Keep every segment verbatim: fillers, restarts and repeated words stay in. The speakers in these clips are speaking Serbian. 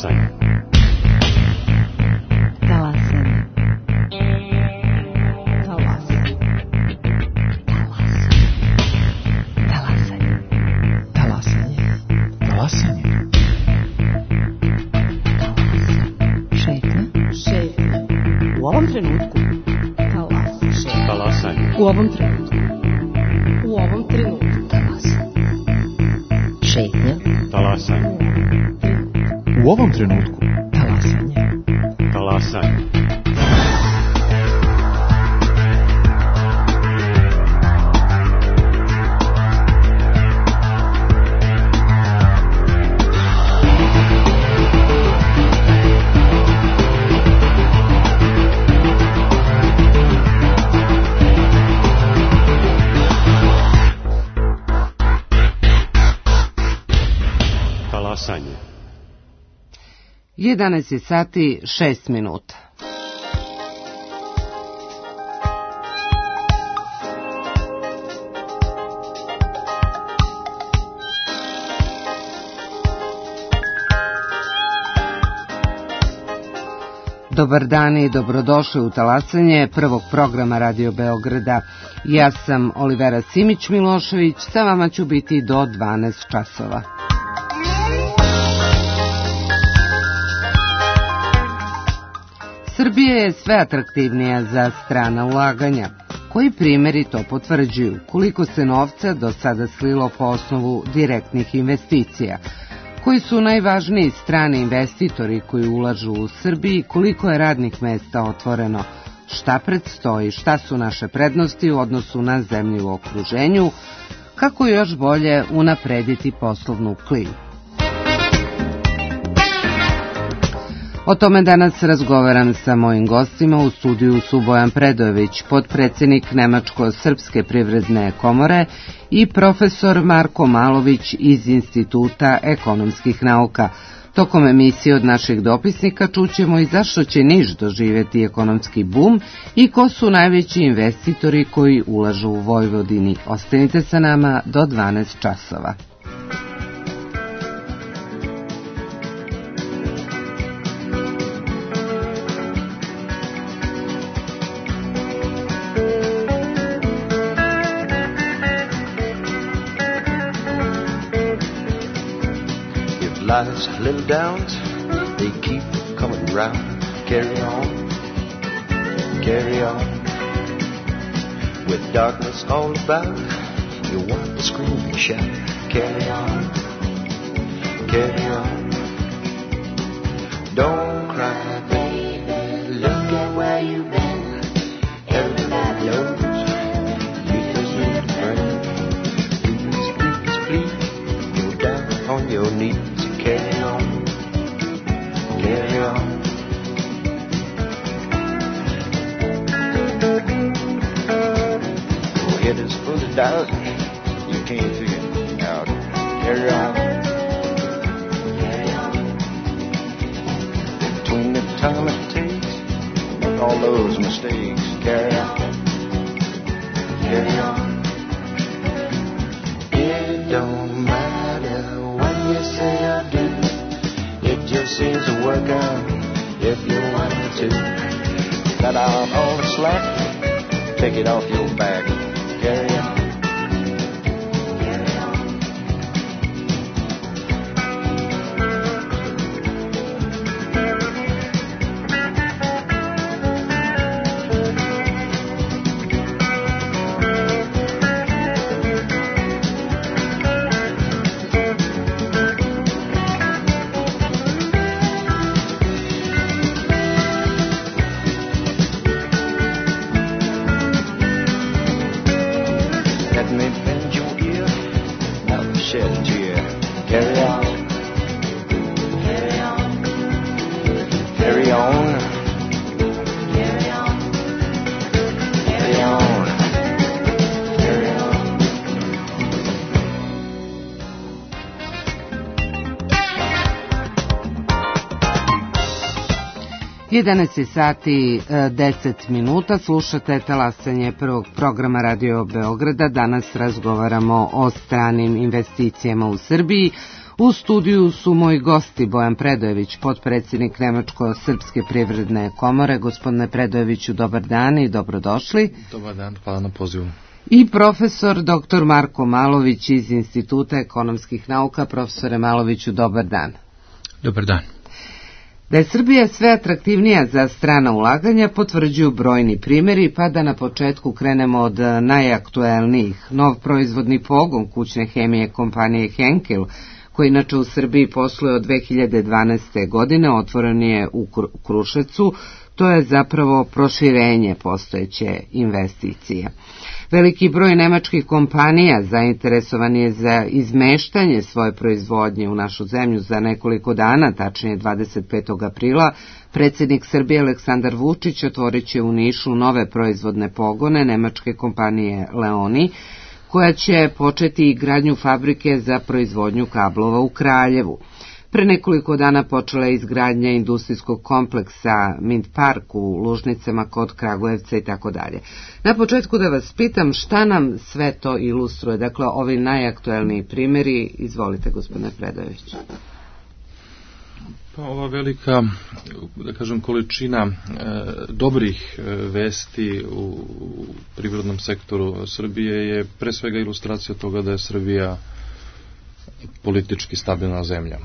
Talasanje. Talasanje. Talasanje. Talasanje. Talasanje. Talasanje. Šetnja. Šetnja. U ovom trenutku. Talasanje. Talasanje. U ovom trenutku. U ovom trenutku. Talasanje. Šetnja. Talasanje. U ovom trenutku. Talasanje. Talasanje. Talasanje. jedanaest je sati šest minuta. Dobar dan i dobrodošli u Talasanje prvog programa Radio Beograda. Ja sam Olivera Simić-Milošević, sa vama ću biti do dvanaest časova. Srbija je sve atraktivnija za strana ulaganja. Koji primjeri to potvrđuju? Koliko se novca do sada slilo po osnovu direktnih investicija? Koji su najvažniji strani investitori koji ulažu u Srbiji? Koliko je radnih mesta otvoreno? Šta predstoji? Šta su naše prednosti u odnosu na zemlje u okruženju? Kako još bolje unaprediti poslovnu klimu? O tome danas razgovaram sa mojim gostima. U studiju su Bojan Predojević, potpredsjednik Nemačko-srpske privredne komore, i profesor Marko Malović iz Instituta ekonomskih nauka. Tokom emisije od naših dopisnika čućemo i zašto će Niš doživjeti ekonomski bum i ko su najveći investitori koji ulažu u Vojvodini. Ostanite sa nama do dvanaest časova. Life's little downs, they keep coming round. Carry on, carry on. With darkness all about, you want to scream and shout. Carry on, carry on. Don't cry, baby, look at where you've been. Everybody knows you just need a friend. Please, please, please, go down on your knees. Carry on, carry on. Your head is full of doubt, you can't figure it out. Carry on, carry on. Between the time it takes, make all those mistakes. Carry on, carry on. It don't matter what you say or do. It just seems to work out if you want to. Cut out all the slack, take it off your back. Carry on, carry on. jedanaest sati deset minuta, slušate talasanje prvog programa Radio Beograda. Danas razgovaramo o stranim investicijama u Srbiji. U studiju su moji gosti Bojan Predojević, potpredsjednik Nemačko-srpske privredne komore. Gospodine Predojeviću, dobar dan i dobrodošli. Dobar dan, hvala na pozivu. I profesor doktor Marko Malović iz Instituta ekonomskih nauka. Profesore Maloviću, dobar dan. Dobar dan. Da je Srbija sve atraktivnija za strana ulaganja potvrđuju brojni primjeri, pa da na početku krenemo od najaktuelnijih. Nov proizvodni pogon kućne hemije kompanije Henkel, koji inače u Srbiji posluje od dve hiljade dvanaeste. godine, otvoren je u Kruševcu. To je zapravo proširenje postojeće investicije. Veliki broj nemačkih kompanija zainteresovan je za izmeštanje svoje proizvodnje u našu zemlju. Za nekoliko dana, tačnije dvadeset petog aprila, predsjednik Srbije Aleksandar Vučić otvorit će u Nišu nove proizvodne pogone nemačke kompanije Leoni, koja će početi gradnju fabrike za proizvodnju kablova u Kraljevu. Pre nekoliko dana počela je izgradnja industrijskog kompleksa Mint Park u Lužnicama kod Kragujevca i tako dalje. Na početku da vas pitam šta nam sve to ilustruje, dakle ovi najaktuelniji primjeri. Izvolite, gospodine Predojević. Pa ova velika, da kažem, količina e, dobrih e, vesti u privrednom sektoru Srbije je pre svega ilustracija toga da je Srbija politički stabilna zemlja. E,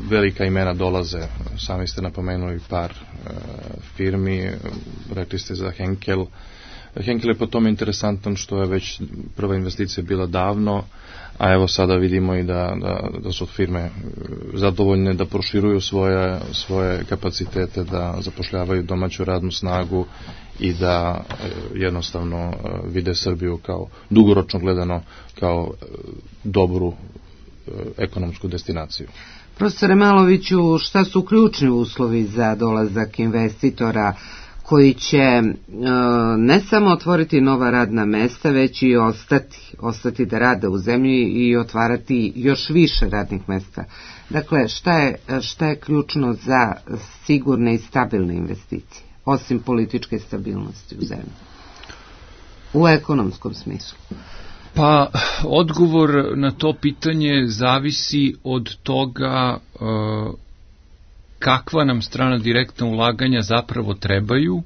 velika imena dolaze, sami ste napomenuli par e, firmi, rekli ste za Henkel. Henkel je po tome interesantan što je već prva investicija bila davno, a evo sada vidimo i da, da, da su firme zadovoljne da proširuju svoje, svoje kapacitete, da zapošljavaju domaću radnu snagu i da jednostavno vide Srbiju kao dugoročno gledano kao dobru ekonomsku destinaciju. Profesore Maloviću, šta su ključni uslovi za dolazak investitora koji će ne samo otvoriti nova radna mesta, već i ostati, ostati da rade u zemlji i otvarati još više radnih mesta? Dakle, šta je, šta je ključno za sigurne i stabilne investicije, osim političke stabilnosti u zemlji, u ekonomskom smislu? Pa, odgovor na to pitanje zavisi od toga uh, kakva nam strana direktna ulaganja zapravo trebaju,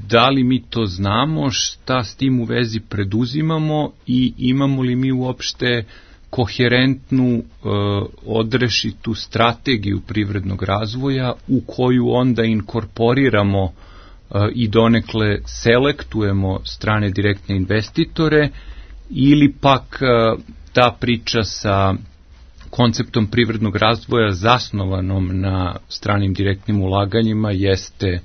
da li mi to znamo, šta s tim u vezi preduzimamo i imamo li mi uopšte koherentnu, odrešitu strategiju privrednog razvoja u koju onda inkorporiramo i donekle selektujemo strane direktne investitore, ili pak ta priča sa konceptom privrednog razvoja zasnovanom na stranim direktnim ulaganjima jeste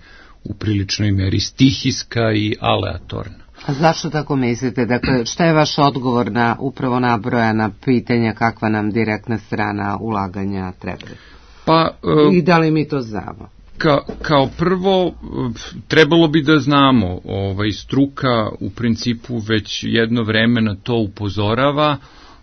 u priličnoj meri stihijska i aleatorna. A zašto tako mislite? Dakle, šta je vaš odgovor na upravo nabrojana pitanja kakva nam direktna strana ulaganja treba? Pa, uh, i da li mi to znamo? Ka, kao prvo, trebalo bi da znamo, ovaj, struka u principu već jedno vreme na to upozorava,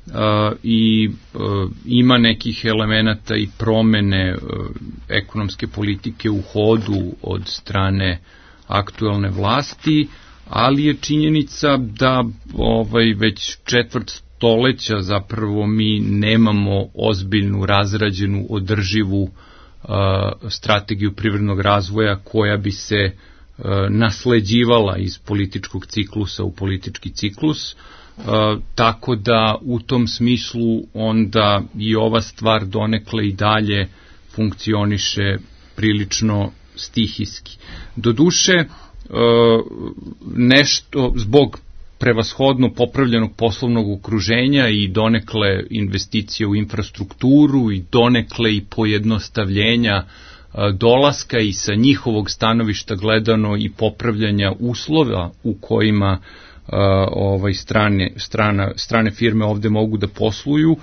Uh, i uh, ima nekih elemenata i promene uh, ekonomske politike u hodu od strane aktuelne vlasti, ali je činjenica da ovaj već četvrt stoleća zapravo mi nemamo ozbiljnu, razrađenu, održivu uh, strategiju privrednog razvoja koja bi se uh, nasleđivala iz političkog ciklusa u politički ciklus. Uh, tako da u tom smislu onda i ova stvar donekle i dalje funkcioniše prilično stihijski. Doduše, uh, nešto zbog prevashodno popravljenog poslovnog okruženja i donekle investicije u infrastrukturu i donekle i pojednostavljenja uh, dolaska i sa njihovog stanovišta gledano i popravljanja uslova u kojima Uh, ovaj strane, strana, strane firme ovde mogu da posluju, uh,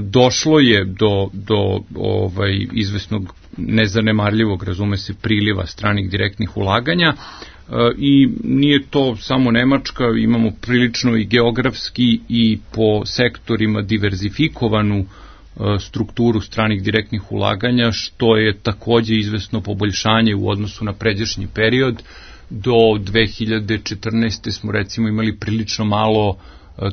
došlo je do, do ovaj izvesnog nezanemarljivog, razume se, priliva stranih direktnih ulaganja uh, i nije to samo Nemačka, imamo prilično i geografski i po sektorima diverzifikovanu uh, strukturu stranih direktnih ulaganja, što je takođe izvesno poboljšanje u odnosu na pređašnji period. Do dve hiljade četrnaeste. smo recimo imali prilično malo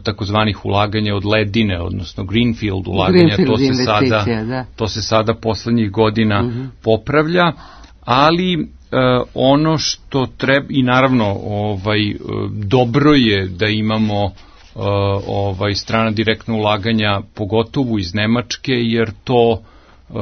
takozvanih ulaganja od ledine, odnosno greenfield ulaganja. Greenfield to se sada da. to se sada poslednjih godina uh-huh. popravlja, ali uh, ono što treba, i naravno ovaj uh, dobro je da imamo uh, ovaj strana direktna ulaganja, pogotovo iz Nemačke, jer to uh,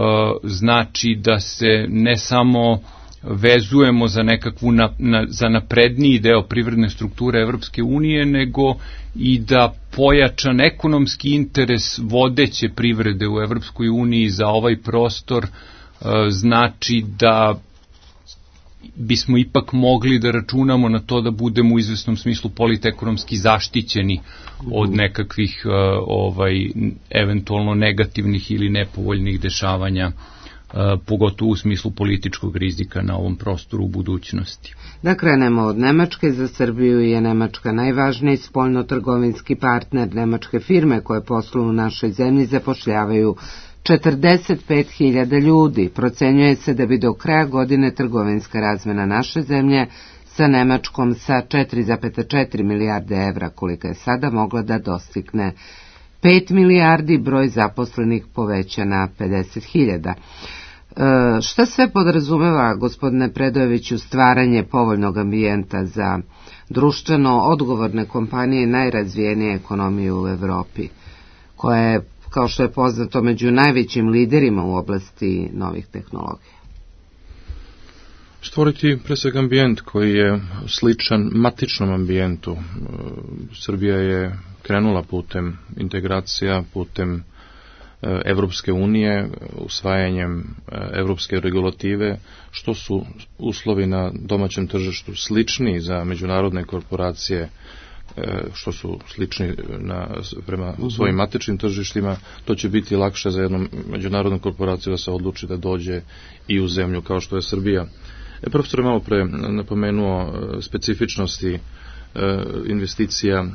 znači da se ne samo vezujemo za nekakvu na, na, za napredniji deo privredne strukture Evropske unije, nego i da pojačan ekonomski interes vodeće privrede u Evropskoj uniji za ovaj prostor e, znači da bismo ipak mogli da računamo na to da budemo u izvesnom smislu politekonomski zaštićeni od nekakvih e, ovaj eventualno negativnih ili nepovoljnih dešavanja, pogotovo u smislu političkog rizika na ovom prostoru u budućnosti. Da krenemo od Nemačke. Za Srbiju je Nemačka najvažniji spoljno-trgovinski partner. Nemačke firme koje posluju u našoj zemlji zapošljavaju četrdeset pet hiljada ljudi. Procenjuje se da bi do kraja godine trgovinska razmena naše zemlje sa Nemačkom sa četiri zarez četiri milijarde evra, kolika je sada, mogla da dostigne pet milijardi, broj zaposlenih poveća na pedeset hiljada. E, šta sve podrazumeva, gospodine Predojeviću, stvaranje povoljnog ambijenta za društveno odgovorne kompanije i najrazvijenije ekonomije u Evropi, koja je, kao što je poznato, među najvećim liderima u oblasti novih tehnologija? Stvoriti pre svega ambijent koji je sličan matičnom ambijentu. Srbija je krenula putem integracija, putem Evropske unije, usvajanjem evropske regulative, što su uslovi na domaćem tržištu slični za međunarodne korporacije, što su slični na, prema svojim matičnim tržištima, to će biti lakše za jednu međunarodnu korporaciju da se odluči da dođe i u zemlju kao što je Srbija. E, profesor je malo pre napomenuo specifičnosti investicija,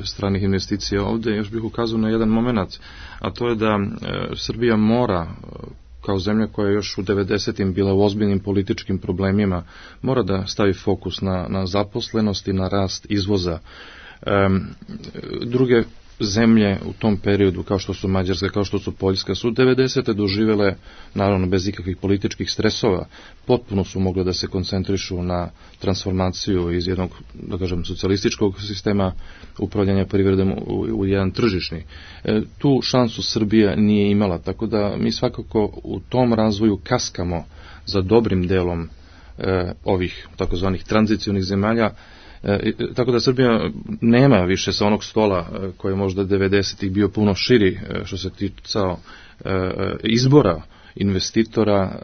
stranih investicija ovde. Još bih ukazao na jedan moment, a to je da Srbija mora, kao zemlja koja je još u devedesetim bila u ozbiljnim političkim problemima, mora da stavi fokus na, na zaposlenost i na rast izvoza. Druge zemlje u tom periodu, kao što su Mađarska, kao što su Poljska, su devedesete doživele, naravno bez ikakvih političkih stresova, potpuno su mogle da se koncentrišu na transformaciju iz jednog, da kažem, socijalističkog sistema upravljanja privredom u, u jedan tržišni. E, tu šansu Srbija nije imala, tako da mi svakako u tom razvoju kaskamo za dobrim delom e, ovih takozvanih tranzicionih zemalja. E, tako da Srbija nema više sa onog stola e, koji je možda devedesetih bio puno širi e, što se ticao e, izbora investitora,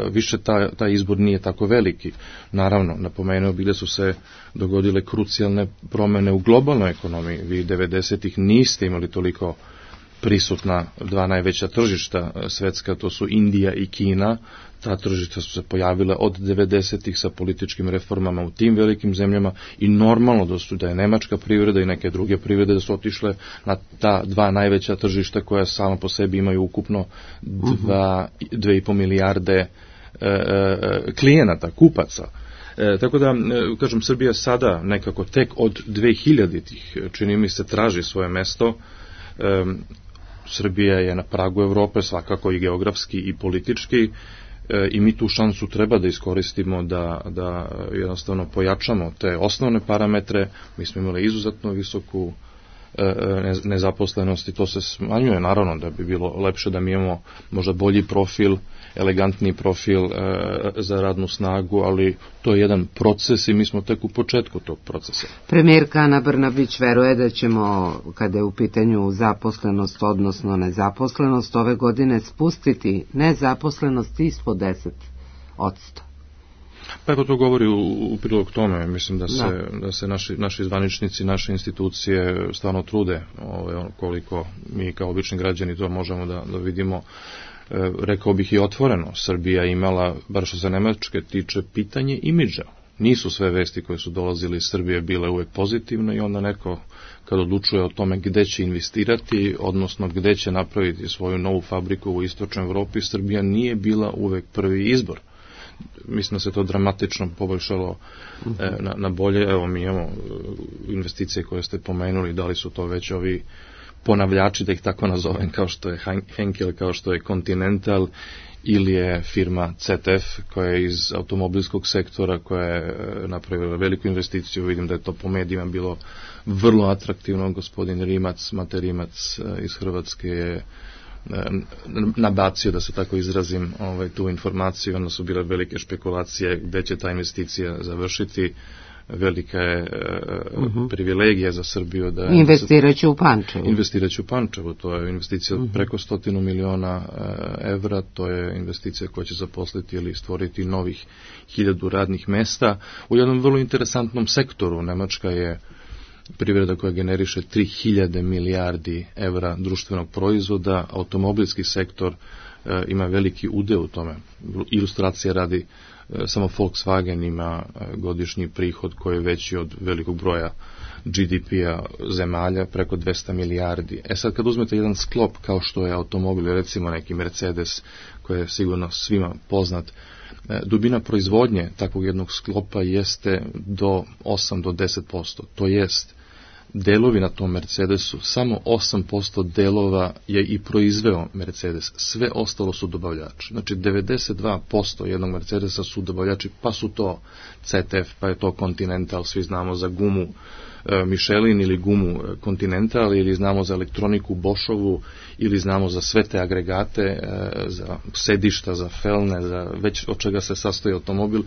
e, više ta, taj izbor nije tako veliki. Naravno, napomenuo bih da su se dogodile krucijalne promene u globalnoj ekonomiji. Vi devedesetih niste imali toliko prisutna dva najveća tržišta svetska, to su Indija i Kina. Ta tržišta su se pojavila od devedesetih sa političkim reformama u tim velikim zemljama i normalno da su da je nemačka privreda i neke druge privrede da su otišle na ta dva najveća tržišta koja samo po sebi imaju ukupno dva, dve i po milijarde e, e, klijenata, kupaca. E, tako da, e, kažem, Srbija sada nekako tek od dve hiljaditih čini mi se traži svoje mesto. E, Srbija je na pragu Evrope, svakako i geografski i politički, e, i mi tu šansu treba da iskoristimo da, da jednostavno pojačamo te osnovne parametre. Mi smo imali izuzetno visoku e, nezaposlenost i to se smanjuje, naravno da bi bilo lepše da mi imamo možda bolji profil, elegantni profil e, za radnu snagu, ali to je jedan proces i mi smo tek u početku tog procesa. Premijerka Ana Brnabić veruje da ćemo, kada je u pitanju zaposlenost, odnosno nezaposlenost, ove godine spustiti nezaposlenost ispod deset odsto. Pa evo to govori u, u prilog tome, mislim da se, da. Da se naši, naši zvaničnici, naše institucije stvarno trude, ove, koliko mi kao obični građani to možemo da, da vidimo. E, rekao bih i otvoreno, Srbija imala, bar što se Nemačke tiče, pitanje imidža. nisu sve vesti koje su dolazile iz Srbije bile uvek pozitivne i onda neko kad odlučuje o tome gde će investirati, odnosno gde će napraviti svoju novu fabriku u istočnoj Evropi, Srbija nije bila uvek prvi izbor. Mislim da se to dramatično poboljšalo e, na, na bolje. Evo, mi imamo investicije koje ste pomenuli, da li su to već ovi ponavljači, da ih tako nazovem, kao što je Henkel, kao što je Continental, ili je firma C T F koja je iz automobilskog sektora, koja je napravila veliku investiciju. Vidim da je to po medijima bilo vrlo atraktivno. Gospodin Rimac, Mate Rimac iz Hrvatske je nabacio, da se tako izrazim, ovaj, tu informaciju. Onda su bile velike špekulacije gde će ta investicija završiti. Velika je uh, uh-huh. privilegija za Srbiju da investiraće u Pančevu. Investiraće u Pančevu, to je investicija uh-huh. preko stotinu miliona uh, evra, to je investicija koja će zaposliti ili stvoriti novih hiljadu radnih mesta u jednom vrlo interesantnom sektoru. Nemačka je privreda koja generiše tri hiljade milijardi evra društvenog proizvoda, automobilski sektor uh, ima veliki udeo u tome. Ilustracija radi, samo Volkswagen ima godišnji prihod koji je veći od velikog broja G D P-a zemalja, preko dvesta milijardi. E sad, kad uzmete jedan sklop kao što je automobil, recimo neki Mercedes, koji je sigurno svima poznat, dubina proizvodnje takvog jednog sklopa jeste do osam do deset posto. To jest, delovi na tom Mercedesu, samo osam posto delova je i proizveo Mercedes, sve ostalo su dobavljači. Znači devedeset dva posto jednog Mercedesa su dobavljači, pa su to C T F, pa je to Continental, svi znamo za gumu e, Michelin ili gumu Continental, ili znamo za elektroniku Boschovu, ili znamo za sve te agregate, e, za sedišta, za felne, za već od čega se sastoji automobil,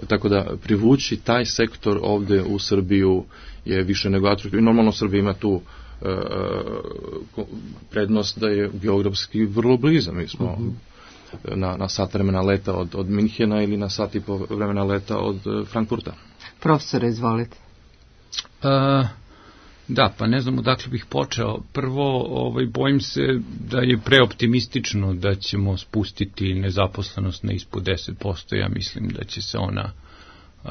tako da privući taj sektor ovde u Srbiju je više nego atraktivno. Normalno Srbija ima tu e, prednost da je geografski vrlo bliza. Mi smo uh-huh. na, na sat vremena leta od, od Minhena ili na sat i po vremena leta od Frankfurta. Profesore, izvolite. Uh, da, pa ne znam odakle bih počeo. Prvo, ovaj, bojim se da je preoptimistično da ćemo spustiti nezaposlenost na ispod deset posto. Ja mislim da će se ona Uh,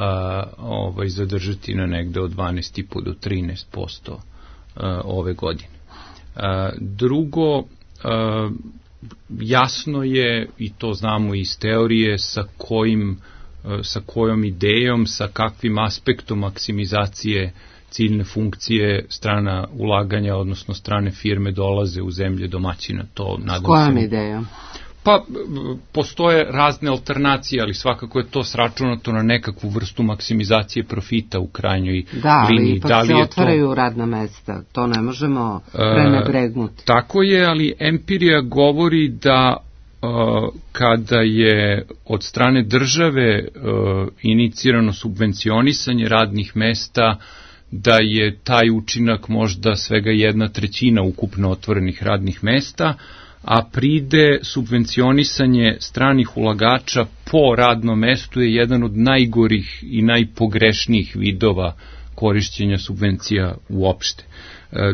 ovaj, zadržati na negde od dvanaest i po do trinaest posto uh, ove godine. Uh, drugo, uh, jasno je, i to znamo iz teorije, sa kojim, uh, sa kojom idejom, sa kakvim aspektom maksimizacije ciljne funkcije strana ulaganja, odnosno strane firme dolaze u zemlje domaćina. To, nadam s kojom se, idejom? Pa, postoje razne alternacije, ali svakako je to sračunato na nekakvu vrstu maksimizacije profita u krajnjoj da, liniji. Ali ipak da li se je otvaraju to radna mesta, to ne možemo prenebregnuti. E, tako je, ali empirija govori da e, kada je od strane države e, inicirano subvencionisanje radnih mesta, da je taj učinak možda svega jedna trećina ukupno otvorenih radnih mesta, a pride subvencionisanje stranih ulagača po radnom mestu je jedan od najgorih i najpogrešnijih vidova korišćenja subvencija uopšte.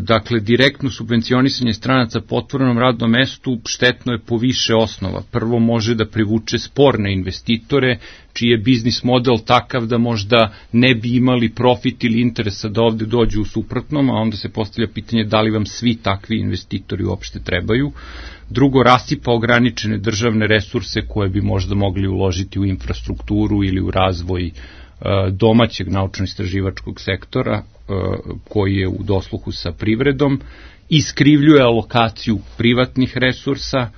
Dakle, direktno subvencionisanje stranaca po otvorenom radnom mestu štetno je po više osnova. Prvo, može da privuče sporne investitore, čiji je biznis model takav da možda ne bi imali profit ili interesa da ovde dođu u suprotnom, a onda se postavlja pitanje da li vam svi takvi investitori uopšte trebaju. Drugo, rasipa ograničene državne resurse koje bi možda mogli uložiti u infrastrukturu ili u razvoj domaćeg naučno-istraživačkog sektora koji je u dosluhu sa privredom, iskrivljuje alokaciju privatnih resursa,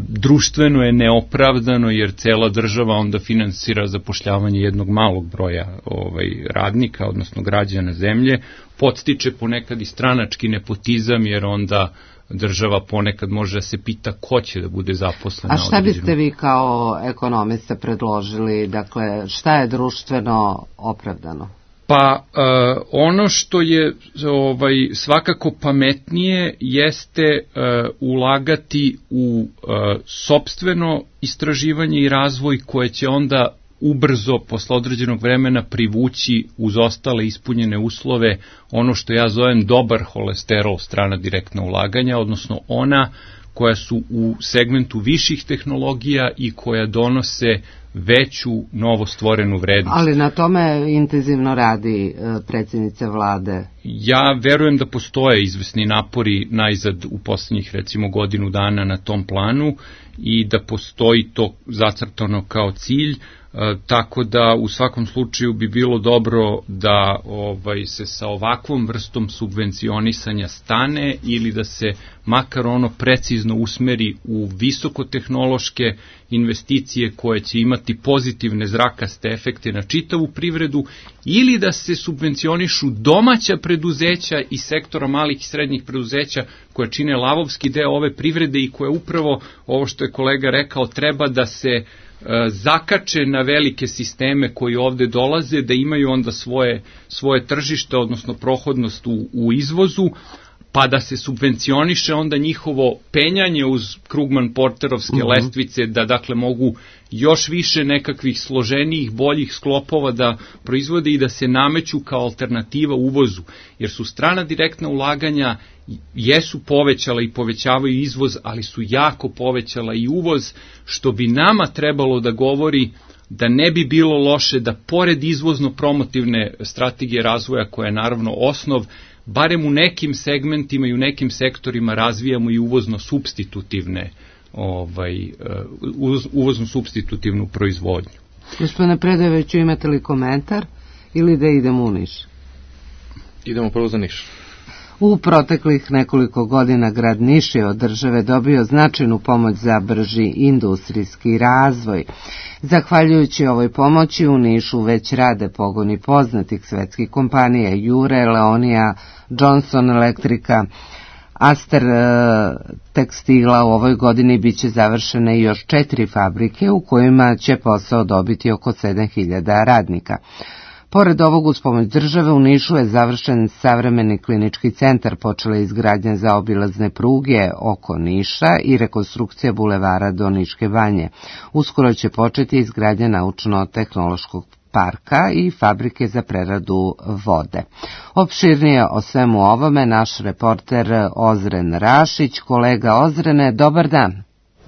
društveno je neopravdano jer cela država onda finansira zapošljavanje jednog malog broja ovaj, radnika, odnosno građana zemlje, podstiče ponekad i stranački nepotizam jer onda država ponekad može da se pita ko će da bude zaposlen. A šta biste vi kao ekonomista predložili, dakle šta je društveno opravdano? Pa uh, ono što je ovaj, svakako pametnije jeste uh, ulagati u uh, sopstveno istraživanje i razvoj koje će onda ubrzo posle određenog vremena privući uz ostale ispunjene uslove ono što ja zovem dobar holesterol strana direktna ulaganja, odnosno ona koja su u segmentu viših tehnologija i koja donose veću novostvorenu vrednost. Ali na tome intenzivno radi predsjednica vlade. Ja verujem da postoje izvesni napori najzad u poslednjih recimo godinu dana na tom planu i da postoji to zacrtano kao cilj. E, tako da u svakom slučaju bi bilo dobro da ovaj, se sa ovakvom vrstom subvencionisanja stane ili da se makar ono precizno usmeri u visokotehnološke investicije koje će imati pozitivne zrakaste efekte na čitavu privredu ili da se subvencionišu domaća preduzeća i sektora malih i srednjih preduzeća koje čine lavovski deo ove privrede i koje upravo, ovo što je kolega rekao, treba da se zakače na velike sisteme koji ovde dolaze, da imaju onda svoje, svoje tržište, odnosno prohodnost u, u izvozu, pa da se subvencioniše onda njihovo penjanje uz Krugman-Porterovske uh-huh. lestvice, da dakle mogu još više nekakvih složenijih, boljih sklopova da proizvode i da se nameću kao alternativa uvozu, jer su strana direktna ulaganja jesu povećala i povećavaju izvoz, ali su jako povećala i uvoz, što bi nama trebalo da govori da ne bi bilo loše da pored izvozno-promotivne strategije razvoja, koja je naravno osnov, barem u nekim segmentima i u nekim sektorima razvijamo i uvozno-substitutivne ovaj, uvozno-substitutivnu proizvodnju. Gospodine Predojeviću, imate li komentar ili da idemo u Niš? Idemo prvo za Niš. U proteklih nekoliko godina grad Niš je od države dobio značajnu pomoć za brži industrijski razvoj. Zahvaljujući ovoj pomoći u Nišu već rade pogoni poznatih svetskih kompanija Jure, Leonija, Johnson Electrica, Aster tekstila. U ovoj godini biće završene još četiri fabrike u kojima će posao dobiti oko sedam hiljada radnika. Pored ovog, uz pomoć države, u Nišu je završen savremeni klinički centar, počela je izgradnja zaobilazne pruge oko Niša i rekonstrukcija bulevara do Niške banje. Uskoro će početi izgradnja naučno-tehnološkog parka i fabrike za preradu vode. Opširnije o svemu ovome naš reporter Ozren Rašić. Kolega Ozrene, dobar dan.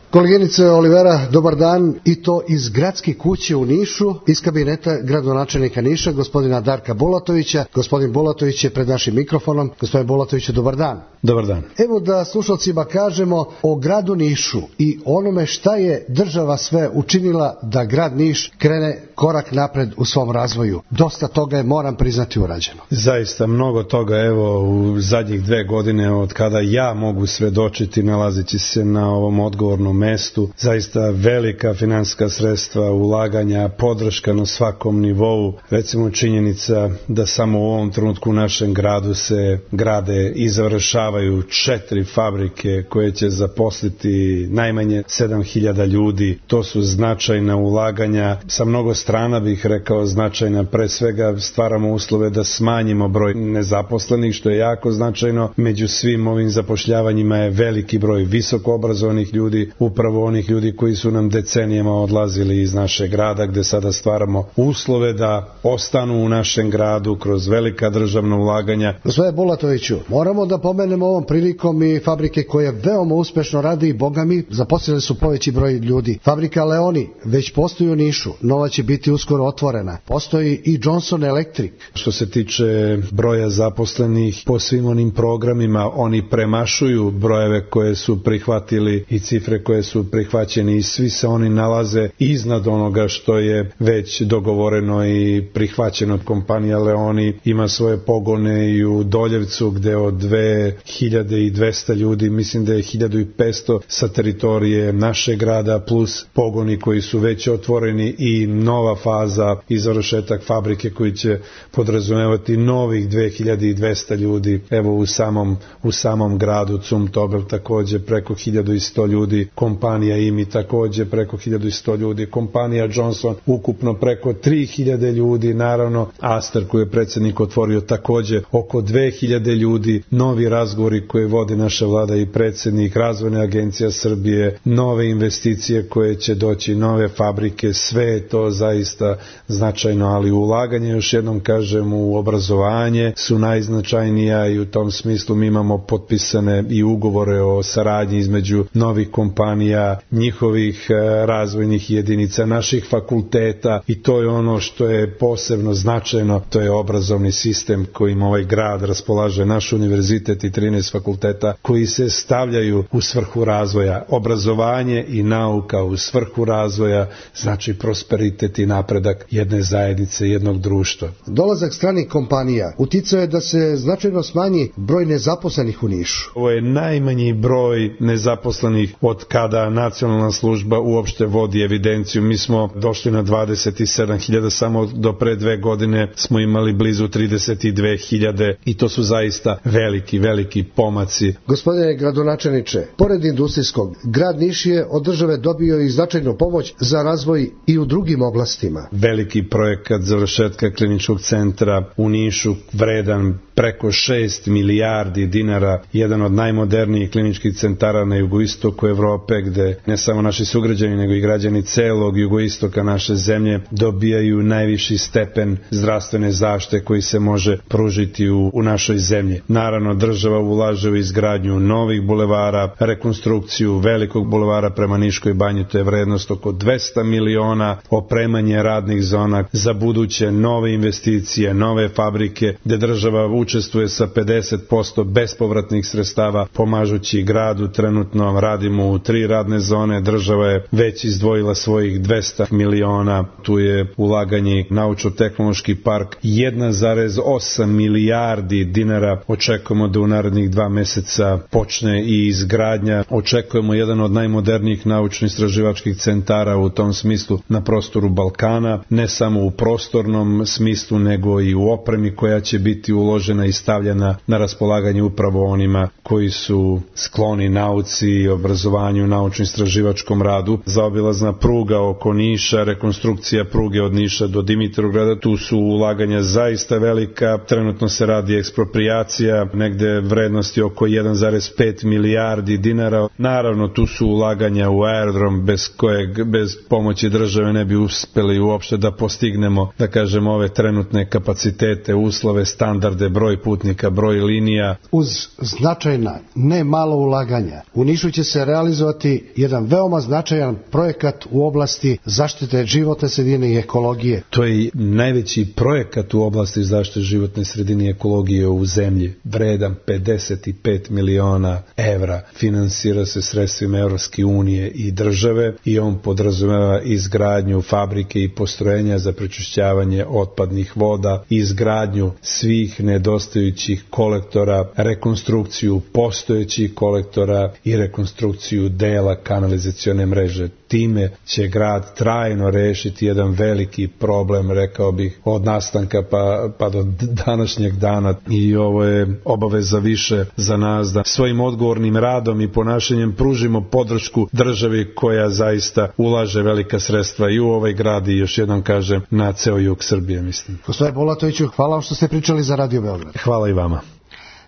Koleginice Olivera, dobar dan, i to iz gradske kuće u Nišu, iz kabineta gradonačelnika Niša, gospodina Darka Bulatovića. Gospodin Bulatović je pred našim mikrofonom. Gospodin Bulatoviću, dobar dan. Dobar dan. Evo da slušalcima kažemo o gradu Nišu i onome šta je država sve učinila da grad Niš krene korak napred u svom razvoju. Dosta toga je, moram priznati, urađeno. Zaista mnogo toga, evo, u zadnjih dve godine od kada ja mogu svedočiti nalazići se na ovom odgovornom mestu, zaista velika finansijska sredstva, ulaganja, podrška na svakom nivou. Recimo činjenica da samo u ovom trenutku u našem gradu se grade i završavaju četiri fabrike koje će zaposliti najmanje sedam hiljada ljudi. To su značajna ulaganja sa mnogo strana, bih rekao značajna. Pre svega stvaramo uslove da smanjimo broj nezaposlenih, što je jako značajno. Među svim ovim zapošljavanjima je veliki broj visoko obrazovanih ljudi, upravo onih ljudi koji su nam decenijama odlazili iz našeg grada, gde sada stvaramo uslove da ostanu u našem gradu kroz velika državna ulaganja. Gospodine Bulatoviću, moramo da pomenemo ovom prilikom i fabrike koje veoma uspešno radi i, boga mi, zaposlili su poveći broj ljudi. Fabrika Leoni već postoji u Nišu, nova će biti uskoro otvorena. Postoji i Johnson Electric. Što se tiče broja zaposlenih, po svim onim programima oni premašuju brojeve koje su prihvatili i cifre koje su prihvaćeni i svi se oni nalaze iznad onoga što je već dogovoreno i prihvaćeno. Kompanija Leoni ima svoje pogone i u Doljevcu gde od dve hiljade dvesta ljudi, mislim da je hiljadu petsto sa teritorije našeg grada, plus pogoni koji su već otvoreni i nova faza i završetak fabrike koji će podrazumevati novih dve hiljade dvesta ljudi. Evo u samom, u samom gradu Zumtobel takođe preko hiljadu sto ljudi, kompanija I M I takođe preko hiljadu sto ljudi, kompanija Johnson ukupno preko tri hiljade ljudi, naravno Aster koji je predsjednik otvorio takođe oko dve hiljade ljudi, novi razgovori koje vodi naša vlada i predsjednik, Razvojna agencija Srbije, nove investicije koje će doći, nove fabrike, sve je to zaista značajno, ali ulaganje, još jednom kažem, u obrazovanje su najznačajnija i u tom smislu mi imamo potpisane i ugovore o saradnji između novih kompanija kompanija, njihovih razvojnih jedinica, naših fakulteta, i to je ono što je posebno značajno, to je obrazovni sistem kojim ovaj grad raspolaže, naš univerzitet i trinaest fakulteta koji se stavljaju u svrhu razvoja. Obrazovanje i nauka u svrhu razvoja znači prosperitet i napredak jedne zajednice, jednog društva. Dolazak stranih kompanija uticao je da se značajno smanji broj nezaposlenih u Nišu. Ovo je najmanji broj nezaposlenih od kada nacionalna služba uopšte vodi evidenciju. Mi smo došli na dvadeset sedam hiljada, samo do pre dve godine smo imali blizu trideset dve hiljade i to su zaista veliki, veliki pomaci. Gospodine gradonačelniče, pored industrijskog, grad Niš je od države dobio i značajnu pomoć za razvoj i u drugim oblastima. Veliki projekat završetka kliničkog centra u Nišu, vredan preko šest milijardi dinara, jedan od najmodernijih kliničkih centara na jugoistoku Evrope, gde ne samo naši sugrađani, nego i građani celog jugoistoka naše zemlje dobijaju najviši stepen zdravstvene zaštite koji se može pružiti u, u našoj zemlji. Naravno, država ulaže u izgradnju novih bulevara, rekonstrukciju velikog bulevara prema Niškoj banji, to je vrednost oko dvesta miliona, opremanje radnih zona za buduće nove investicije, nove fabrike, gde država učestvuje sa pedeset posto bespovratnih sredstava, pomažući gradu. Trenutno radimo u tri radne zone, država je već izdvojila svojih dvesta miliona, tu je ulaganje naučno-tehnološki park, jedan zarez osam milijardi dinara, očekujemo da u narednih dva meseca počne i izgradnja, očekujemo jedan od najmodernijih naučno-istraživačkih centara u tom smislu na prostoru Balkana, ne samo u prostornom smislu, nego i u opremi koja će biti uložena i stavljena na raspolaganje upravo onima koji su skloni nauci i obrazovanju, naučno-istraživačkom radu. Zaobilazna pruga oko Niša, rekonstrukcija pruge od Niša do Dimitrovgrada, tu su ulaganja zaista velika, trenutno se radi eksproprijacija, negde vrednosti oko jedan zarez pet milijardi dinara. Naravno, tu su ulaganja u aerodrom bez kojeg, bez pomoći države ne bi uspeli uopšte da postignemo, da kažem, ove trenutne kapacitete, uslove, standarde, broj putnika, broj linija. Uz značajna, ne malo ulaganja, u Nišu će se realizovati jedan veoma značajan projekat u oblasti zaštite životne sredine i ekologije. To je najveći projekat u oblasti zaštite životne sredine i ekologije u zemlji, vredan pedeset pet miliona evra. Finansira se sredstvima Evropske unije i države i on podrazumeva izgradnju fabrike i postrojenja za prečišćavanje otpadnih voda, izgradnju svih nedostajućih kolektora, rekonstrukciju postojećih kolektora i rekonstrukciju dela kanalizacione mreže. Time će grad trajno rešiti jedan veliki problem, rekao bih, od nastanka pa, pa do današnjeg dana, i ovo je obaveza više za nas da svojim odgovornim radom i ponašanjem pružimo podršku državi koja zaista ulaže velika sredstva i u ovaj grad i, još jednom kažem, na ceo jug Srbije, mislim. Gospodine Bulatoviću, hvala vam što ste pričali za Radio Beograd. Hvala i vama.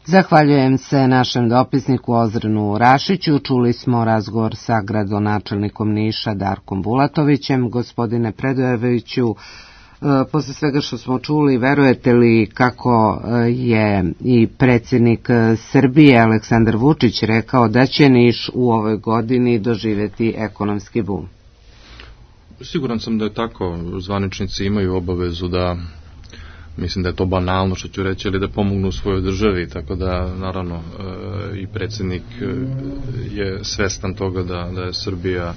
Zahvaljujem se našem dopisniku Ozrenu Rašiću. Čuli smo razgovor sa gradonačelnikom Niša Darkom Bulatovićem. Gospodine Predojeviću, posle svega što smo čuli, verujete li kako je i predsjednik Srbije Aleksandar Vučić rekao da će Niš u ovoj godini doživjeti ekonomski bum? Siguran sam da je tako. Zvaničnici imaju obavezu da, mislim da je to banalno što ću reći, ali da pomognu svojoj državi, tako da naravno i predsjednik je svestan toga da, da je Srbija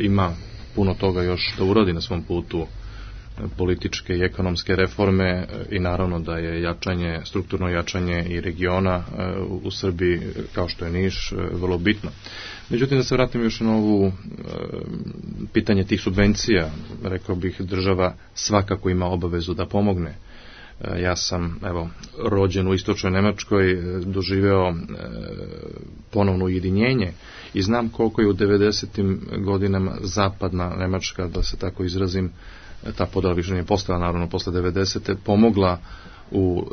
ima puno toga još da uradi na svom putu političke i ekonomske reforme i naravno da je jačanje, strukturno jačanje i regiona u Srbiji, kao što je Niš, vrlo bitno. Međutim, da se vratim još na ovu pitanje tih subvencija, rekao bih, država svakako ima obavezu da pomogne. Ja sam, evo, rođen u istočnoj Nemačkoj, doživeo ponovno ujedinjenje i znam koliko je u devedesetim godinama zapadna Nemačka, da se tako izrazim, ta podela više nije postala, naravno, posle devedesete pomogla u,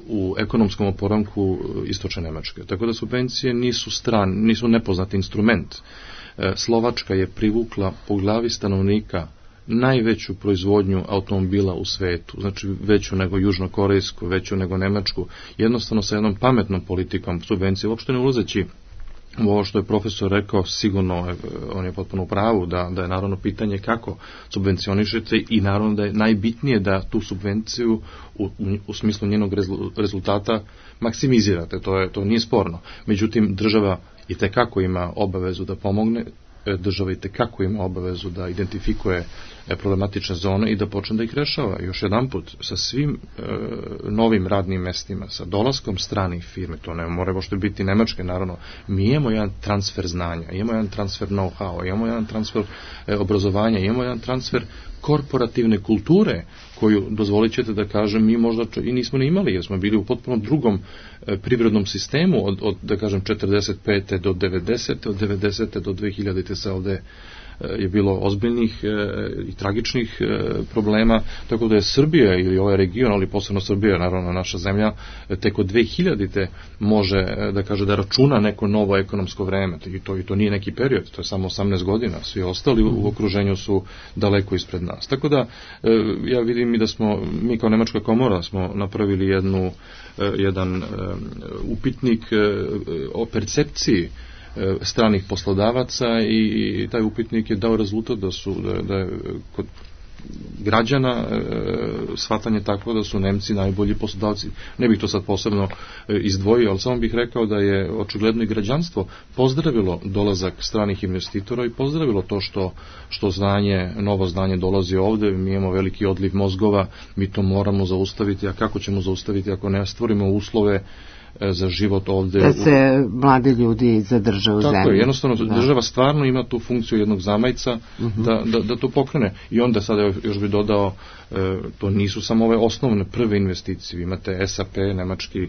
u ekonomskom oporavku istočne Nemačke. Tako da subvencije nisu stran, nisu nepoznat instrument. Slovačka je privukla po glavi stanovnika najveću proizvodnju automobila u svetu, znači veću nego južnokorejsku, veću nego nemačku, jednostavno sa jednom pametnom politikom subvencije, uopšte ne ulazeći ovo što je profesor rekao, sigurno on je potpuno u pravu, da, da je naravno pitanje kako subvencionišete i naravno da je najbitnije da tu subvenciju u, u smislu njenog rezultata maksimizirate, to, je, to nije sporno. Međutim, država i tekako ima obavezu da pomogne, država i tekako ima obavezu da identifikuje problematične zone i da počne da ih rešava. Još jedan put, sa svim e, novim radnim mestima, sa dolaskom stranih firme, to ne mora možda biti nemačke, naravno, mi imamo jedan transfer znanja, imamo jedan transfer know-how, imamo jedan transfer e, obrazovanja, imamo jedan transfer korporativne kulture, koju, dozvolit ćete da kažem, mi možda i nismo ne imali, jer smo bili u potpuno drugom e, privrednom sistemu od, od, da kažem, četrdeset pete do devedesete, od devedesete do dve hiljadite se ovde je bilo ozbiljnih e, i tragičnih e, problema, tako da je Srbija ili ovaj region, ali posebno Srbija, naravno naša zemlja, e, tek od dve hiljadite može e, da kaže da računa neko novo ekonomsko vreme i to, i to nije neki period, to je samo osamnaest godina, svi ostali u, u okruženju su daleko ispred nas. Tako da e, ja vidim i da smo, mi kao Nemačka komora smo napravili jednu, e, jedan e, upitnik e, o percepciji stranih poslodavaca i, i taj upitnik je dao rezultat da su da, da je kod građana e, shvatanje takvo da su Nemci najbolji poslodavci. Ne bih to sad posebno e, izdvojio, ali samo bih rekao da je očigledno i građanstvo pozdravilo dolazak stranih investitora i pozdravilo to što, što znanje, novo znanje dolazi ovde. Mi imamo veliki odliv mozgova, mi to moramo zaustaviti, a kako ćemo zaustaviti ako ne stvorimo uslove za život ovde. Da se mladi ljudi zadrže u zemlji. Tako je, jednostavno da. Država stvarno ima tu funkciju jednog zamajca uh-huh. da, da, da to pokrene. I onda sada još bi dodao, e, to nisu samo ove osnovne prve investicije. Vi imate S A P, nemački e,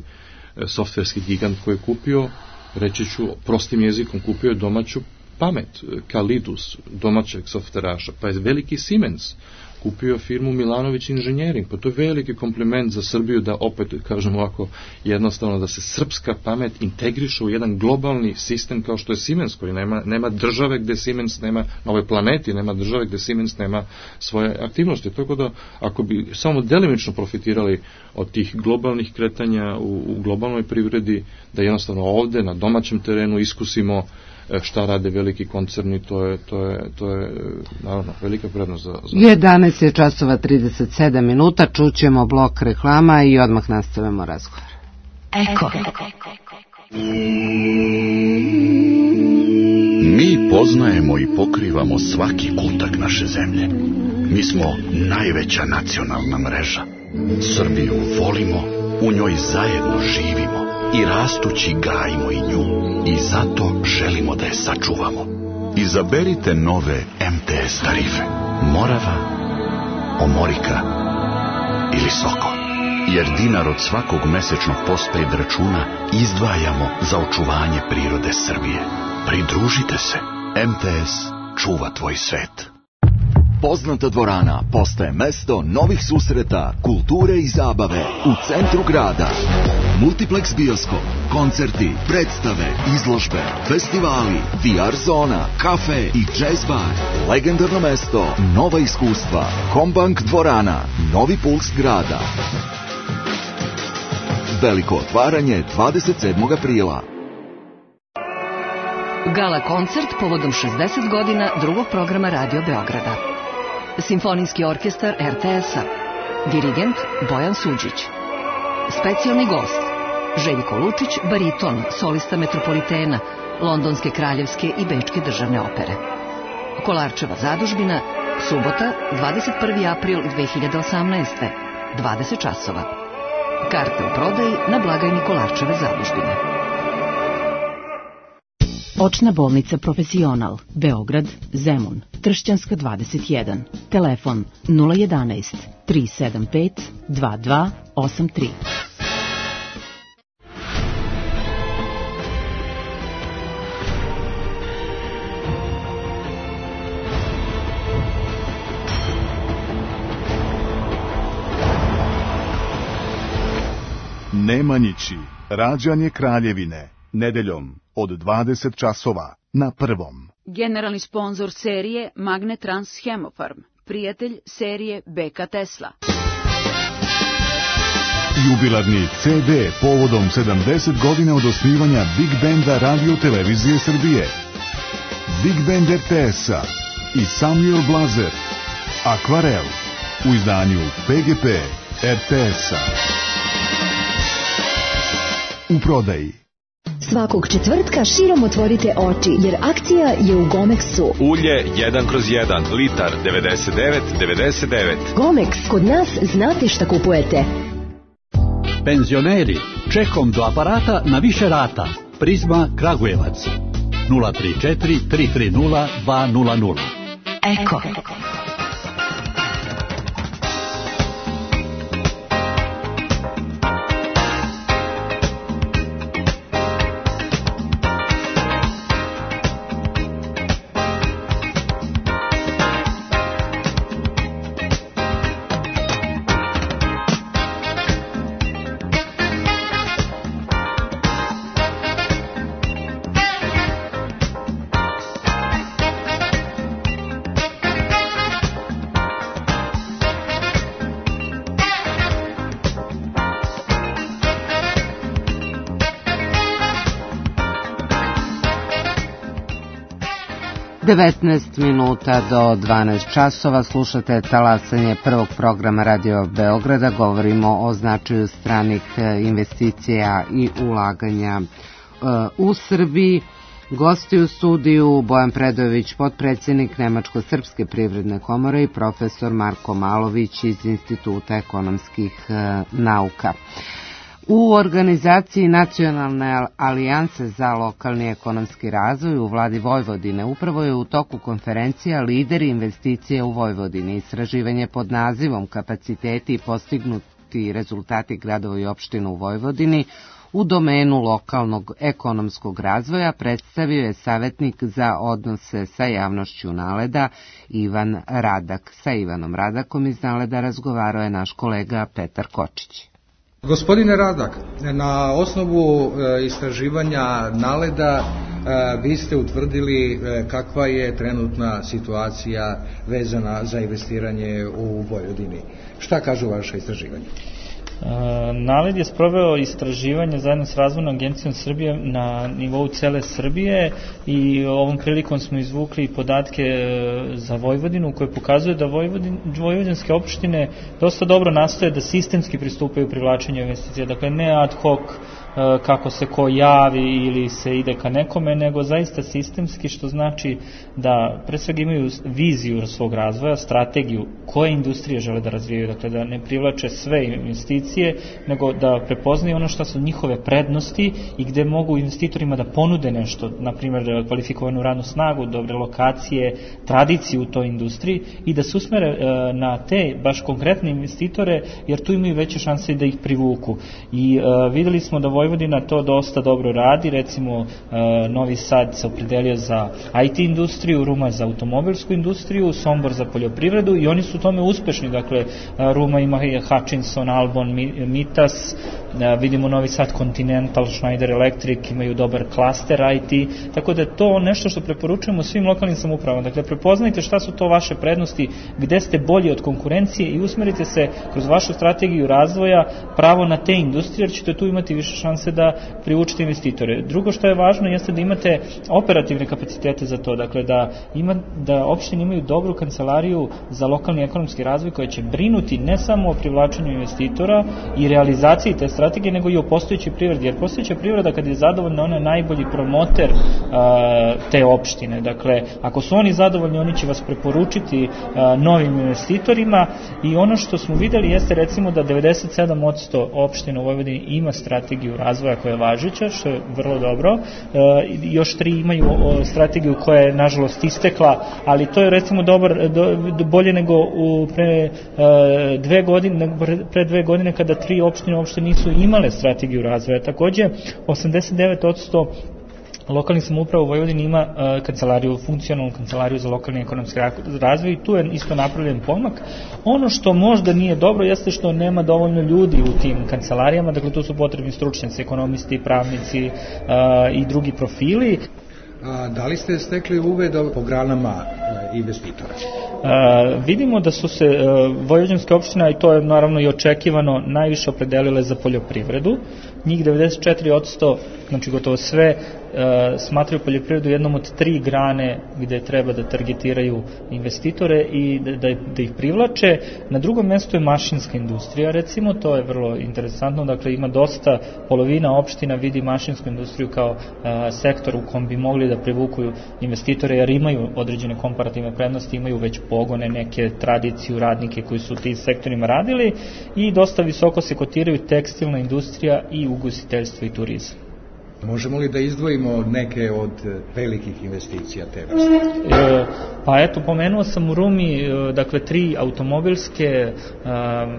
softverski gigant koji je kupio, reći ću prostim jezikom, kupio je domaću pamet, Kalidus, domaćeg softveraša, pa je veliki Siemens kupio firmu Milanović Inženjering, pa to je veliki kompliment za Srbiju da opet, kažem ovako, jednostavno da se srpska pamet integriše u jedan globalni sistem kao što je Siemens, koji nema, nema države gde Siemens nema, na ovoj planeti nema države gde Siemens nema svoje aktivnosti. Tako da, ako bi samo delimično profitirali od tih globalnih kretanja u, u globalnoj privredi, da jednostavno ovde na domaćem terenu iskusimo šta rade veliki koncerni, to je, to je, to je naravno velika prednost za, za... jedanaest je časova trideset sedam minuta, čućemo blok reklama i odmah nastavimo razgovor. Eko. Mi poznajemo i pokrivamo svaki kutak naše zemlje. Mi smo najveća nacionalna mreža. Srbiju volimo, u njoj zajedno živimo i rastući gajimo i nju. I zato želimo da je sačuvamo. Izaberite nove M T S tarife. Morava, Omorika ili Sokol. Jer dinar od svakog mesečnog postpaid računa izdvajamo za očuvanje prirode Srbije. Pridružite se. M T S čuva tvoj svet. Poznata dvorana postaje mesto novih susreta, kulture i zabave u centru grada. Multiplex bioskop, koncerti, predstave, izložbe, festivali, V R zona, kafe i jazz bar. Legendarno mesto, nova iskustva. Combank dvorana, novi puls grada. Veliko otvaranje dvadeset sedmog aprila. Gala koncert povodom šezdeset godina drugog programa Radio Beograda. Simfonijski orkestar R T S-a. Dirigent Bojan Suđić. Specijalni gost Željko Lučić, bariton, solista Metropolitena, Londonske kraljevske i Bečke državne opere. Kolarčeva zadužbina, subota, dvadeset prvi april dve hiljade osamnaeste, dvadeset časova. Karte u prodaji na blagajni Kolarčeve zadužbine. Očna bolnica Profesional, Beograd, Zemun, Tršćanska dvadeset jedan. Telefon nula jedanaest, tri sedam pet, dva dva osam tri. Nemanjići, rađanje Kraljevine, nedeljom od dvadeset časova na Prvom. Generalni sponzor serije Magnetrans Hemofarm, prijatelj serije B K Tesla. Jubilarni ce de povodom sedamdeset godina od osnivanja Big Banda Radio Televizije Srbije. Big Band er te es-a i Samuel Blazer. Akvarel u izdanju pe ge pe er te es-a. U prodaji. Svakog četvrtka širom otvorite oči, jer akcija je u Gomexu. Ulje jedan kroz jedan, litar devedeset devet devedeset devet. Gomex, kod nas znate šta kupujete. Penzioneri, čekom do aparata na više rata. Prizma Kragujevac. nula tri četiri tri tri nula dva nula nula. Eko. devetnaest minuta do dvanaest časova slušate talasanje prvog programa Radio Beograda. Govorimo o značaju stranih investicija i ulaganja u Srbiji. Gosti u studiju Bojan Predojević, potpredsjednik Nemačko-srpske privredne komore, i profesor Marko Malović iz Instituta ekonomskih nauka. U organizaciji Nacionalne alijanse za lokalni ekonomski razvoj u vladi Vojvodine upravo je u toku konferencija Lideri investicije u Vojvodini, istraživanje pod nazivom Kapaciteti i postignuti rezultati gradova i opština u Vojvodini u domenu lokalnog ekonomskog razvoja, predstavio je savjetnik za odnose sa javnošću Naleda Ivan Radak. Sa Ivanom Radakom iz Naleda razgovarao je naš kolega Petar Kočić. Gospodine Radak, na osnovu e, istraživanja Naleda e, vi ste utvrdili e, kakva je trenutna situacija vezana za investiranje u Vojvodini. Šta kažu vaše istraživanje? Naled je sproveo istraživanje zajedno s Razvojnom agencijom Srbije na nivou cele Srbije i ovom prilikom smo izvukli podatke za Vojvodinu koje pokazuje da Vojvodin, vojvodinske opštine dosta dobro nastoje da sistemski pristupaju privlačenju investicija, dakle ne ad hoc kako se ko javi ili se ide ka nekome, nego zaista sistemski, što znači da pre svega imaju viziju svog razvoja, strategiju koje industrije žele da razvijaju, dakle da ne privlače sve investicije, nego da prepoznaju ono što su njihove prednosti i gde mogu investitorima da ponude nešto, na primjer kvalifikovanu radnu snagu, dobre lokacije, tradiciju u toj industriji i da se usmere na te baš konkretne investitore, jer tu imaju veće šanse da ih privuku. I uh, videli smo da Vojvodina to dosta dobro radi, recimo uh, Novi Sad se opredelio za I T industriju, Ruma za automobilsku industriju, Sombor za poljoprivredu i oni su u tome uspešni, dakle uh, Ruma ima Hutchinson, Albon, Mitas, uh, vidimo Novi Sad Continental, Schneider Electric, imaju dobar klaster I T, tako da je to nešto što preporučujemo svim lokalnim samoupravama, dakle prepoznajte šta su to vaše prednosti, gde ste bolji od konkurencije i usmerite se kroz vašu strategiju razvoja pravo na te industrije, jer ćete tu imati više šanse da privučite investitore. Drugo što je važno jeste da imate operativne kapacitete za to, dakle da, ima, da opštine imaju dobru kancelariju za lokalni ekonomski razvoj koja će brinuti ne samo o privlačenju investitora i realizaciji te strategije, nego i o postojećoj privredi, jer postojeća privreda kad je zadovoljna, ona je najbolji promoter a, te opštine. Dakle, ako su oni zadovoljni, oni će vas preporučiti a, novim investitorima i ono što smo videli jeste recimo da devedeset sedam posto opština u Vojvodini ima strategiju razvoja koja je važeća, što je vrlo dobro. E, još tri imaju o, strategiju koja je nažalost istekla, ali to je recimo dobar, do, do, bolje nego u pre, e, dve godine, pre dve godine kada tri opštine uopšte nisu imale strategiju razvoja. Takođe, osamdeset devet posto lokalnih samouprava u Vojvodini ima uh, kancelariju, funkcionalnu kancelariju za lokalni ekonomski razvoj i tu je isto napravljen pomak. Ono što možda nije dobro jeste što nema dovoljno ljudi u tim kancelarijama, dakle tu su potrebni stručnjaci, ekonomisti, pravnici uh, i drugi profili. A da li ste stekli uved po granama investitora? vidimo da su se vojvođanske opštine, i to je naravno i očekivano, najviše opredelile za poljoprivredu. Njih devedeset četiri posto, znači gotovo sve, smatraju poljoprivredu jednom od tri grane gde treba da targetiraju investitore i da, da, da ih privlače. Na drugom mjestu je mašinska industrija, recimo, to je vrlo interesantno, dakle ima dosta, polovina opština vidi mašinsku industriju kao a, sektor u kom bi mogli da privuku investitore, jer imaju određene komparativne prednosti, imaju već pogone, neke tradiciju, radnike koji su u tim sektorima radili, i dosta visoko se kotiraju tekstilna industrija i ugostiteljstvo i turizam. Možemo li da izdvojimo neke od velikih investicija te vrste? E, pa eto, pomenuo sam u Rumi, dakle, tri automobilske a,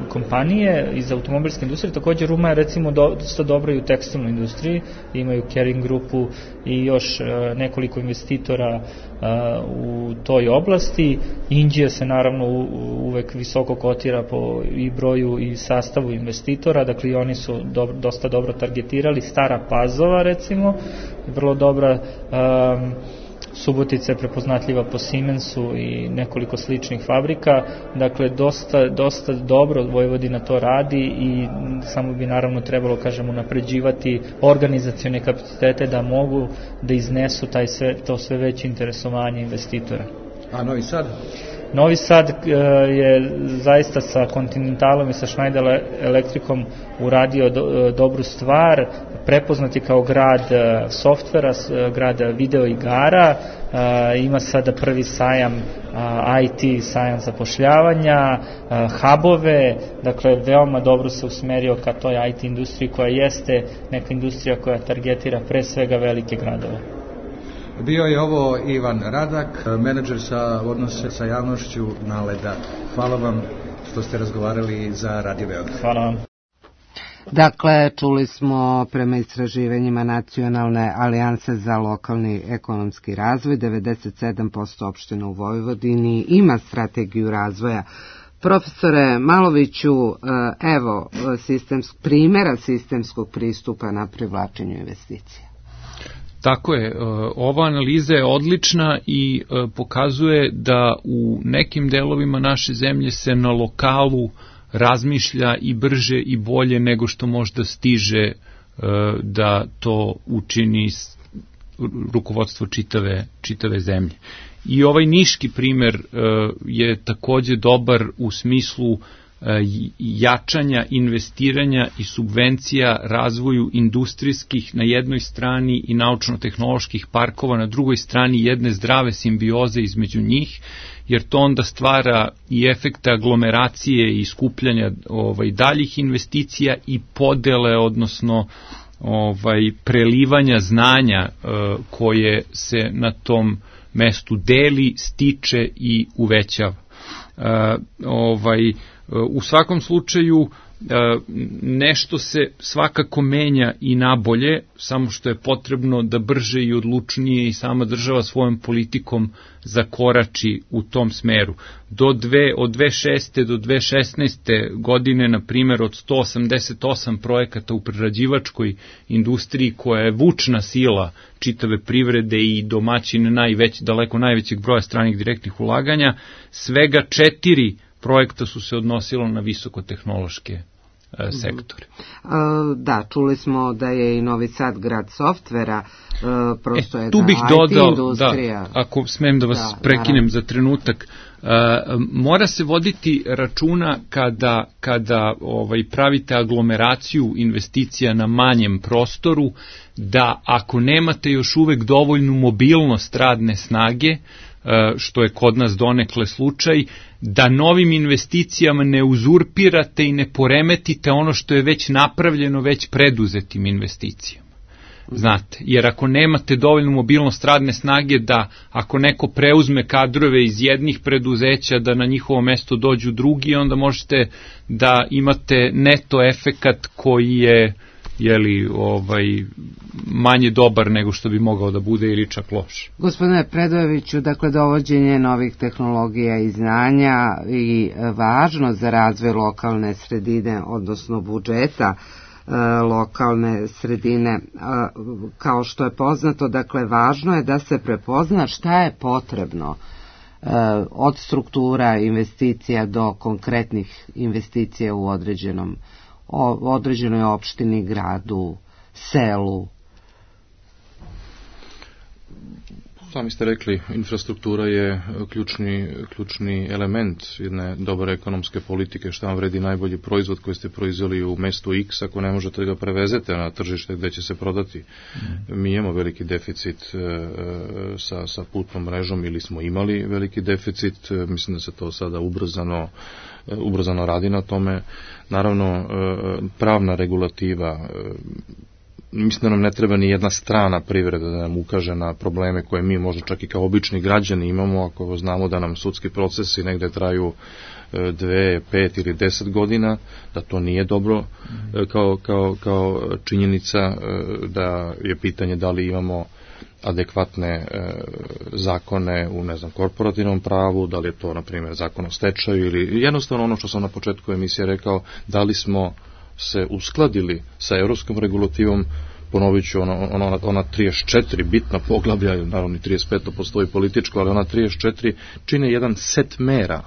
kompanije iz automobilske industrije. Također Ruma je recimo dosta dobra i u tekstilnoj industriji, imaju Kering grupu i još a, nekoliko investitora a, u toj oblasti. Indija se naravno u, uvek visoko kotira po i broju i sastavu investitora, dakle i oni su do, dosta dobro targetirali. Stara Pazova recimo, vrlo dobra, um, Subotica je prepoznatljiva po Siemensu i nekoliko sličnih fabrika, dakle dosta, dosta dobro Vojvodina to radi i samo bi naravno trebalo, kažemo, napređivati organizacione kapacitete da mogu da iznesu taj sve, to sve veće interesovanje investitora. A Novi Sad? Novi Sad je zaista sa Continentalom i sa Schneider Electricom uradio do, dobru stvar, prepoznat je kao grad softvera, grad video igara, ima sada prvi sajam I T, sajam zapošljavanja, hubove, dakle veoma dobro se usmerio ka toj I T industriji koja jeste neka industrija koja targetira pre svega velike gradove. Bio je ovo Ivan Radak, menadžer sa odnose sa javnošću Naleda. Hvala vam što ste razgovarali za Radio Beograd. Hvala vam. Dakle, čuli smo prema istraživanjima Nacionalne alijanse za lokalni ekonomski razvoj, devedeset sedam posto opština u Vojvodini ima strategiju razvoja. Profesore Maloviću, evo sistemsk, primjera sistemskog pristupa na privlačenju investicija. Tako je, ova analiza je odlična i pokazuje da u nekim delovima naše zemlje se na lokalu razmišlja i brže i bolje nego što možda stiže da to učini rukovodstvo čitave, čitave zemlje. I ovaj niški primer je takođe dobar u smislu jačanja, investiranja i subvencija razvoju industrijskih na jednoj strani i naučno-tehnoloških parkova na drugoj strani, jedne zdrave simbioze između njih, jer to onda stvara i efekte aglomeracije i skupljanja ovaj, daljih investicija i podele, odnosno ovaj, prelivanja znanja uh, koje se na tom mestu deli, stiče i uvećava. Uh, ovaj, u svakom slučaju nešto se svakako menja i nabolje, samo što je potrebno da brže i odlučnije i sama država svojom politikom zakorači u tom smeru. Do dve, od dve hiljade šeste do dve hiljade šesnaeste godine, na primjer, od sto osamdeset osam projekata u prerađivačkoj industriji, koja je vučna sila čitave privrede i domaćin najveć, daleko najvećeg broja stranih direktnih ulaganja, svega četiri projekta su se odnosilo na visokotehnološke e, sektore. Da, čuli smo da je i Novi Sad grad softvera, e, prosto je e, tu bih ta dodao, I T industrija. Da, ako smem da vas da, prekinem naravno. za trenutak, e, mora se voditi računa kada, kada ovaj, pravite aglomeraciju investicija na manjem prostoru, da ako nemate još uvek dovoljnu mobilnost radne snage, što je kod nas donekle slučaj, da novim investicijama ne uzurpirate i ne poremetite ono što je već napravljeno već preduzetim investicijama. Znate, jer ako nemate dovoljnu mobilnost radne snage da ako neko preuzme kadrove iz jednih preduzeća da na njihovo mesto dođu drugi, onda možete da imate neto efekat koji je jeli, ovaj, manje dobar nego što bi mogao da bude ili čak loš. Gospodine Predojeviću, dakle, dovođenje novih tehnologija i znanja i važno za razvoj lokalne sredine, odnosno budžeta e, lokalne sredine, e, kao što je poznato, dakle, važno je da se prepozna šta je potrebno od struktura investicija do konkretnih investicija u određenom, o, određenoj opštini, gradu, selu? Sami ste rekli, infrastruktura je ključni, ključni element jedne dobre ekonomske politike. Šta vam vredi najbolji proizvod koji ste proizveli u mestu X ako ne možete ga prevezete na tržište gde će se prodati? Mm. Mi imamo veliki deficit e, sa, sa putnom mrežom, ili smo imali veliki deficit. E, mislim da se to sada ubrzano, e, ubrzano radi na tome. Naravno, e, pravna regulativa, e, mislim da nam ne treba ni jedna strana privreda da nam ukaže na probleme koje mi možda čak i kao obični građani imamo, ako znamo da nam sudski procesi negde traju dve, pet ili deset godina, da to nije dobro kao, kao, kao činjenica, da je pitanje da li imamo adekvatne e, zakone u, ne znam, korporativnom pravu, da li je to, na primjer, zakon o stečaju, ili jednostavno ono što sam na početku emisije rekao, da li smo se uskladili sa europskom regulativom. Ponovit ću, ono, ono, ona trideset četiri bitna poglavlja, naravno i trideset pet postoji političko, ali ona trideset četiri čine jedan set mera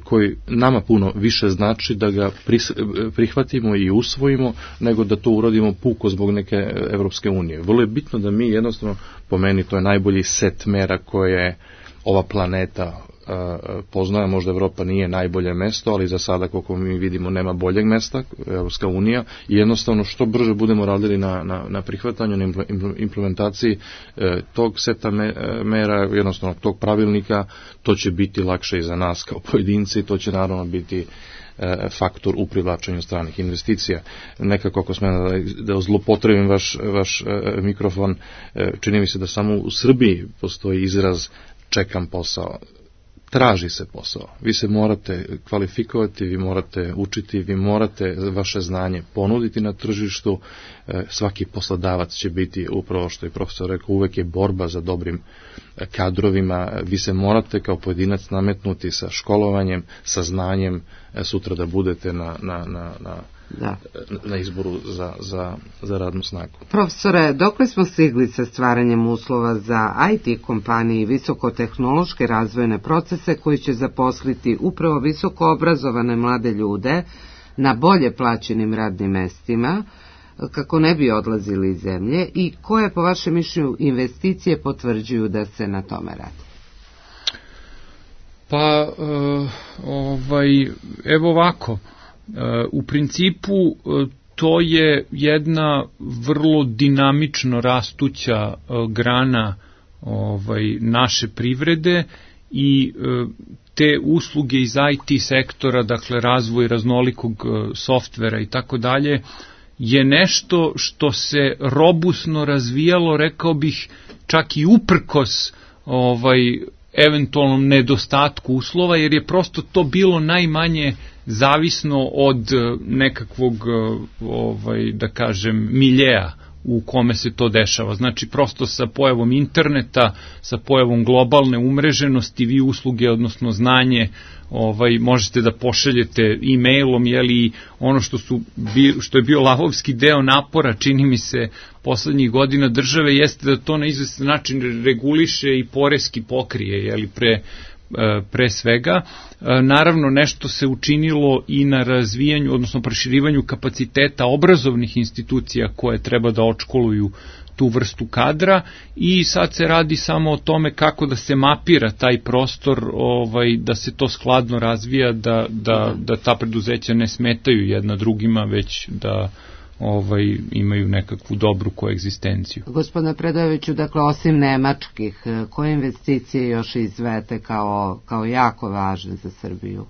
koji nama puno više znači da ga prihvatimo i usvojimo, nego da to uradimo puko zbog neke Evropske unije. Vrlo je bitno da mi jednostavno, po meni, to je najbolji set mera koje ova planeta poznaje. Možda Evropa nije najbolje mesto, ali za sada, koliko mi vidimo, nema boljeg mesta, Evropska unija, i jednostavno što brže budemo radili na, na, na prihvatanju, na implementaciji e, tog seta me, mera, jednostavno tog pravilnika, to će biti lakše i za nas kao pojedinci, to će naravno biti e, faktor u privlačenju stranih investicija. Nekako, ako smem da, da zlopotrebim vaš, vaš e, mikrofon, e, čini mi se da samo u Srbiji postoji izraz čekam posao. Traži se posao. Vi se morate kvalifikovati, vi morate učiti, vi morate vaše znanje ponuditi na tržištu. Svaki poslodavac će biti, upravo što je profesor rekao, uvek je borba za dobrim kadrovima. Vi se morate kao pojedinac nametnuti sa školovanjem, sa znanjem, sutra da budete na, na, na, na Da. na izboru za, za, za radnu snagu. Profesore, dokle smo stigli sa stvaranjem uslova za I T kompanije i visokotehnološke razvojne procese koji će zaposliti upravo visoko obrazovane mlade ljude na bolje plaćenim radnim mestima, kako ne bi odlazili iz zemlje, i koje po vašem mišljenju investicije potvrđuju da se na tome radi? Pa, uh, ovaj, evo ovako. U principu to je jedna vrlo dinamično rastuća grana ovaj, naše privrede i te usluge iz I T sektora, dakle razvoj raznolikog softvera i tako dalje, je nešto što se robusno razvijalo, rekao bih, čak i uprkos ovaj, eventualnom nedostatku uslova, jer je prosto to bilo najmanje zavisno od nekakvog, ovaj, da kažem, miljeja u kome se to dešava. Znači, prosto sa pojavom interneta, sa pojavom globalne umreženosti, vi usluge, odnosno znanje, ovaj, možete da pošaljete e-mailom, jeli, ono što, su, što je bio lavovski deo napora, čini mi se, poslednjih godina države, jeste da to na izvestan način reguliše i poreski pokrije, jeli, pre pre svega. Naravno, nešto se učinilo i na razvijanju, odnosno proširivanju kapaciteta obrazovnih institucija koje treba da odškoluju tu vrstu kadra, i sad se radi samo o tome kako da se mapira taj prostor, ovaj, da se to skladno razvija, da, da, da ta preduzeća ne smetaju jedna drugima, već da ovaj, imaju nekakvu dobru koegzistenciju. Gospodine Predojeviću, dakle, osim nemačkih, koje investicije još izvete kao, kao jako važne za Srbiju?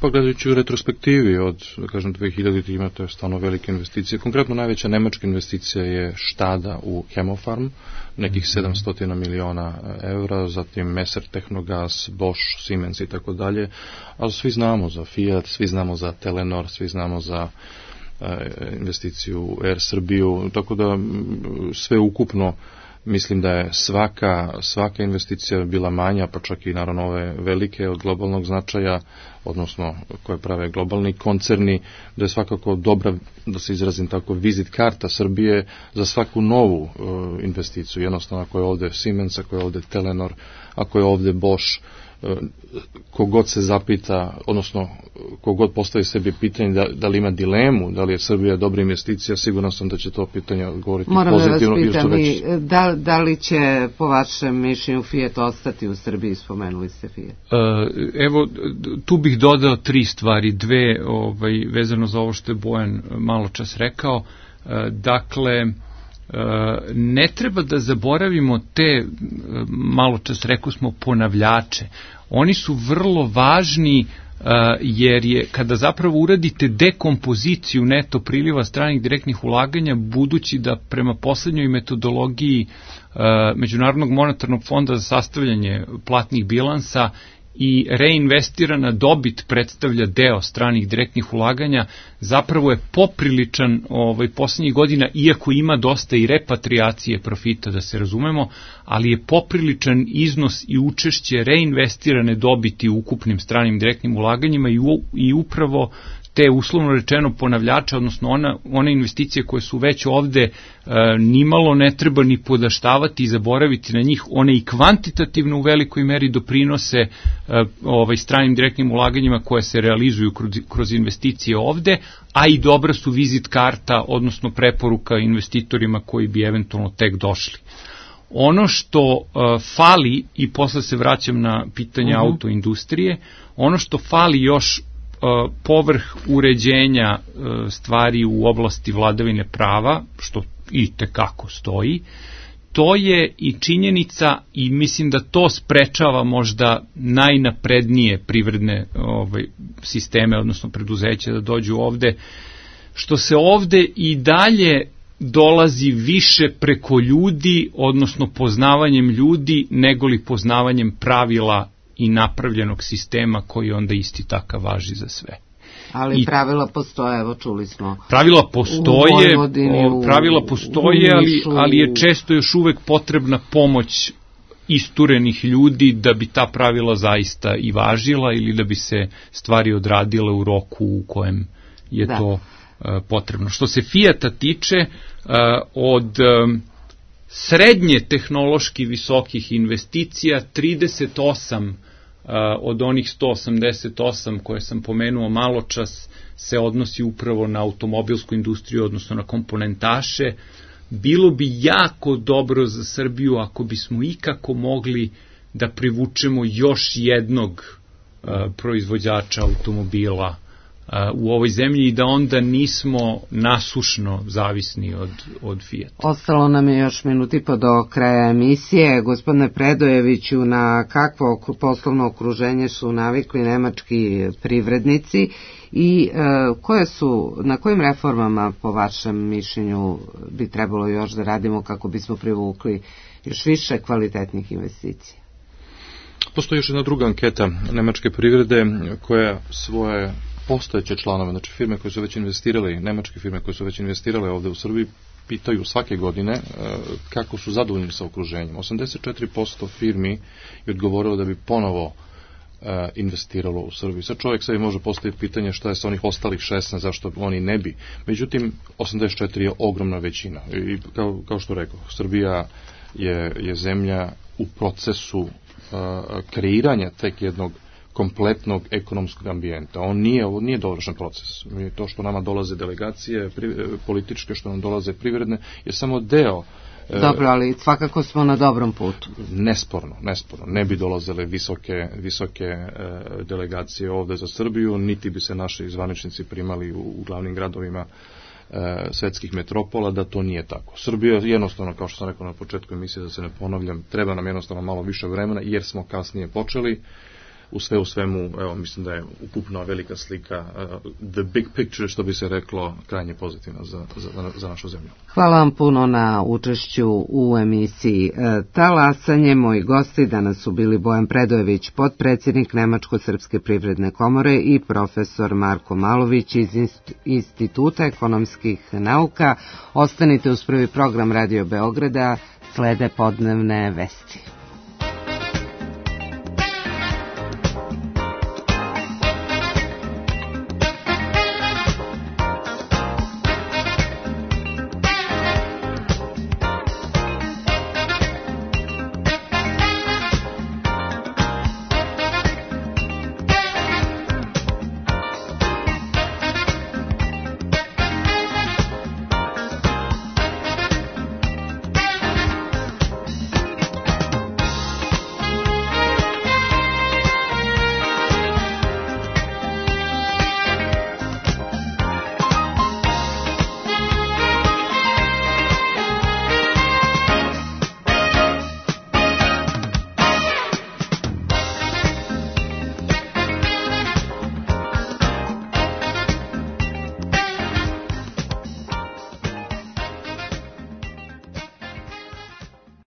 Pa gledajući u retrospektivi od, da kažem, dve hiljadite imate stvarno velike investicije. Konkretno najveća nemačka investicija je štada u Hemofarm, nekih sedamsto miliona evra, zatim Messer Technogas, Bosch, Siemens i tako dalje. A svi znamo za Fiat, svi znamo za Telenor, svi znamo za investiciju u Air Srbiju, tako da sve ukupno Mislim da je svaka, svaka investicija bila manja, pa čak i naravno ove velike od globalnog značaja, odnosno koje prave globalni koncerni, da je svakako dobra, da se izrazim tako, vizit karta Srbije za svaku novu uh, investiciju. Jednostavno, ako je ovde Siemens, ako je ovde Telenor, ako je ovde Bosch, kogod se zapita, odnosno kogod postavi sebi pitanje da, da li ima dilemu, da li je Srbija dobra investicija, sigurno sam da će to pitanje odgovoriti Moram pozitivno. Moram da vas pitam, već... da, da li će po vašem mišljenju Fiat ostati u Srbiji, spomenuli ste Fiat? Evo, tu bih dodao tri stvari, dve ovaj, vezano za ovo što je Bojan malo čas rekao. Dakle, ne treba da zaboravimo te, malo čas rekao smo, ponavljače. Oni su vrlo važni jer je, kada zapravo uradite dekompoziciju neto priliva stranih direktnih ulaganja, budući da prema poslednjoj metodologiji Međunarodnog monetarnog fonda za sastavljanje platnih bilansa i reinvestirana dobit predstavlja deo stranih direktnih ulaganja, zapravo je popriličan ovaj, poslednjih godina, iako ima dosta i repatriacije profita, da se razumemo, ali je popriličan iznos i učešće reinvestirane dobiti u ukupnim stranim direktnim ulaganjima i, u, i upravo te uslovno rečeno ponavljače, odnosno ona, one investicije koje su već ovde e, nimalo ne treba ni podaštavati i zaboraviti na njih, one i kvantitativno u velikoj meri doprinose e, ovaj, stranim direktnim ulaganjima koje se realizuju kroz, kroz investicije ovde, a i dobra su vizit karta, odnosno preporuka investitorima koji bi eventualno tek došli. Ono što uh, fali, i posle se vraćam na pitanje uh-huh. autoindustrije, ono što fali još uh, povrh uređenja uh, stvari u oblasti vladavine prava, što i tekako stoji, to je i činjenica, i mislim da to sprečava možda najnaprednije privredne ovaj, sisteme, odnosno preduzeća da dođu ovde, što se ovde i dalje dolazi više preko ljudi, odnosno poznavanjem ljudi, negoli poznavanjem pravila i napravljenog sistema koji onda isti takav važi za sve. Ali I pravila postoje, evo čuli smo. Pravila postoje, u pravila postoje, ali, ali je često još uvek potrebna pomoć isturenih ljudi da bi ta pravila zaista i važila ili da bi se stvari odradile u roku u kojem je da. to potrebno. Što se Fiata tiče, od srednje tehnološki visokih investicija, trideset osam od onih sto osamdeset osam koje sam pomenuo malo čas se odnosi upravo na automobilsku industriju, odnosno na komponentaše. Bilo bi jako dobro za Srbiju ako bismo ikako mogli da privučemo još jednog proizvođača automobila u ovoj zemlji i da onda nismo nasušno zavisni od, od Fiata. Ostalo nam je još minut i po do kraja emisije. Gospodine Predojeviću, na kakvo poslovno okruženje su navikli nemački privrednici i e, koje su, na kojim reformama po vašem mišljenju bi trebalo još da radimo kako bismo privukli još više kvalitetnih investicija? Postoji još jedna druga anketa nemačke privrede koja svoje postojeće članove, znači firme koje su već investirale, nemačke firme koje su već investirale ovde u Srbiji, pitaju svake godine kako su zadovoljni sa okruženjem. osamdeset četiri posto firmi je odgovorilo da bi ponovo investiralo u Srbiji. Sad čovjek sebi može postaviti pitanje šta je sa onih ostalih šesnaest, zašto oni ne bi. Međutim, osamdeset četiri je ogromna većina. I kao, kao što rekao, Srbija je, je zemlja u procesu uh, kreiranja tek jednog kompletnog ekonomskog ambijenta. On nije, ovo nije dovršen proces. To što nama dolaze delegacije pri, političke, što nam dolaze privredne, je samo deo. Dobro, ali svakako smo na dobrom putu. Nesporno, nesporno. Ne bi dolazile visoke, visoke e, delegacije ovde za Srbiju, niti bi se naši zvaničnici primali u, u glavnim gradovima e, svetskih metropola, da to nije tako. Srbija jednostavno, kao što sam rekao na početku emisije, da se ne ponavljam, treba nam jednostavno malo više vremena, jer smo kasnije počeli. u sve u svemu, evo, mislim da je ukupno velika slika, uh, the big picture, što bi se reklo, krajnje pozitivna za, za, za našu zemlju. Hvala vam puno na učešću u emisiji Talasanje. Moji gosti danas su bili Bojan Predojević, potpredsjednik Nemačko-srpske privredne komore, i profesor Marko Malović iz Instituta ekonomskih nauka. Ostanite uz prvi program Radio Beograda, slede podnevne vesti.